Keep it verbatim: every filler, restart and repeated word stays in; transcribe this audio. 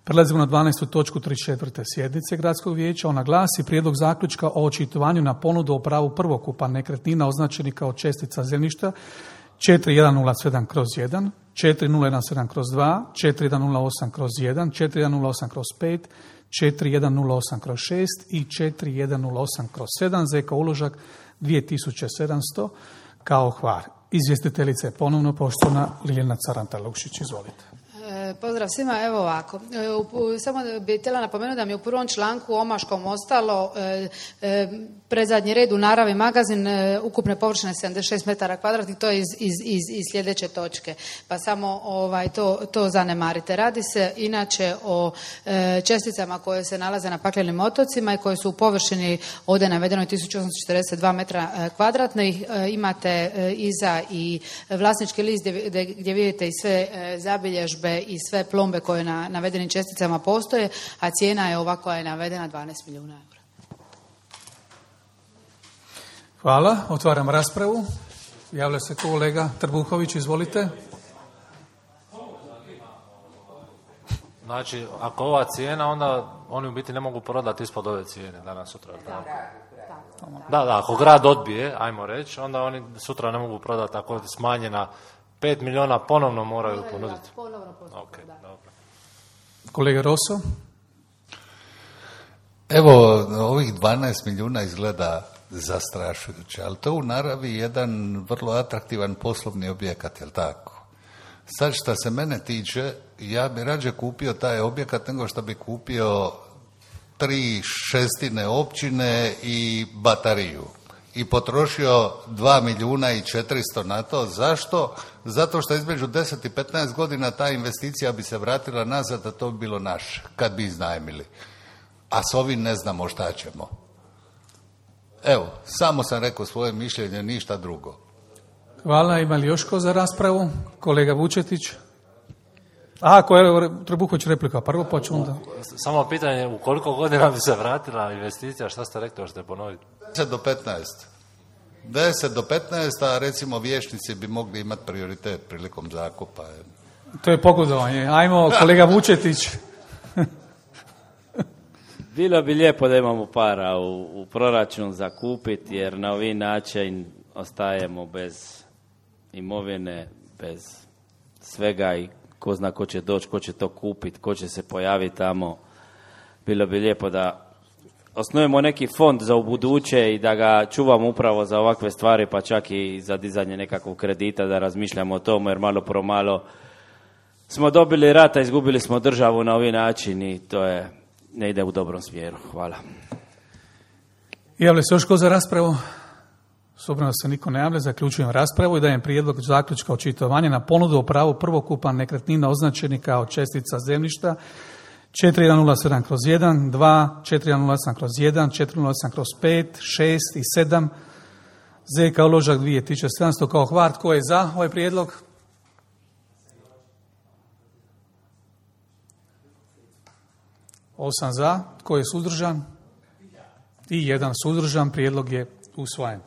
Prelazimo na dvanaestu točku trideset četvrte sjednice Gradskog vijeća. Ona glasi: prijedlog zaključka o očitovanju na ponudu o pravu prvokupa nekretnina označenih kao čestica zemljišta četiri jedan nula sedam kroz jedan, četiri nula jedan sedam kroz dva, četiri jedan nula osam kroz jedan, četiri jedan nula osam kroz pet, četiri jedan nula osam kroz šest i četiri jedan nula osam kroz sedam, Z K uložak dvije tisuće sedamsto kao Hvar. Izvjestiteljica je ponovno poštovana Ljiljana Caranta-Lukšić. Izvolite. Pozdrav svima, evo ovako. Samo bih htjela napomenuti da mi je u prvom članku omaškom ostalo e, e, predzadnji red u naravi magazin e, ukupne površine sedamdeset šest metara kvadratnih, to je iz, iz, iz, iz sljedeće točke. Pa samo ovaj, to, to zanemarite. Radi se inače o e, česticama koje se nalaze na paklenim otocima i koje su u površini ovdje navedeno tisuću osamsto četrdeset dva metra e, kvadratnih. E, imate e, iza i vlasnički list gdje, gdje vidite i sve e, zabilježbe i sve plombe koje na navedenim česticama postoje, a cijena je ova koja je navedena dvanaest milijuna eura. Hvala. Otvaram raspravu. Javlja se kolega Trbuhović, izvolite. Znači, ako ova cijena, onda oni u biti ne mogu prodati ispod ove cijene danas sutra. Da, da, da, ako grad odbije, ajmo reći, onda oni sutra ne mogu prodati ako je smanjena pet milijuna, ponovno moraju ponuditi. Ponovno postupak, okay, da. Dobro. Kolega Rosso. Evo, ovih dvanaest milijuna izgleda zastrašujuće, ali to u naravi jedan vrlo atraktivan poslovni objekat, jel tako? Sad što se mene tiče, ja bi rađe kupio taj objekat nego što bi kupio tri šestine općine i batariju. I potrošio dva milijuna i četiristo na to. Zašto? Zato što između deset i petnaest godina ta investicija bi se vratila nazad, a to bi bilo naše, kad bi iznajmili. A s ovim ne znamo šta ćemo. Evo, samo sam rekao svoje mišljenje, ništa drugo. Hvala. Ima li još ko za raspravu? Kolega Vučetić. A, kolega Trbuhović, replika. Prvo poču onda. Samo pitanje, u koliko godina bi se vratila investicija, šta ste rekli, hoćete ponoviti? deset do petnaest. deset do petnaest, a recimo vijećnici bi mogli imati prioritet prilikom zakupa. To je pogodovanje. Ajmo, kolega Vučetić. Bilo bi lijepo da imamo para u, u proračun za kupiti, jer na ovaj način ostajemo bez imovine, bez svega i ko zna ko će doći, ko će to kupiti, ko će se pojaviti tamo. Bilo bi lijepo da osnujemo neki fond za ubuduće i da ga čuvamo upravo za ovakve stvari, pa čak i za dizanje nekakvog kredita, da razmišljamo o tomu, jer malo pro malo smo dobili rata, izgubili smo državu na ovaj način i to je, ne ide u dobrom smjeru. Hvala. Javlja se još ko za raspravu? S obzirom da se niko ne javlja, zaključujem raspravu i dajem prijedlog zaključka očitovanja na ponudu o pravu prvokupa nekretnina označenih kao čestica zemljišta četiri jedan nula sedam kroz jedan, dva, četiri jedan nula osam kroz jedan, četiri nula osam kroz pet, šest i sedam, Z K uložak dvije tisuće sedamsto kao Hvar. Tko je za ovaj prijedlog? Osam za. Tko je suzdržan? I jedan suzdržan. Prijedlog je usvojen.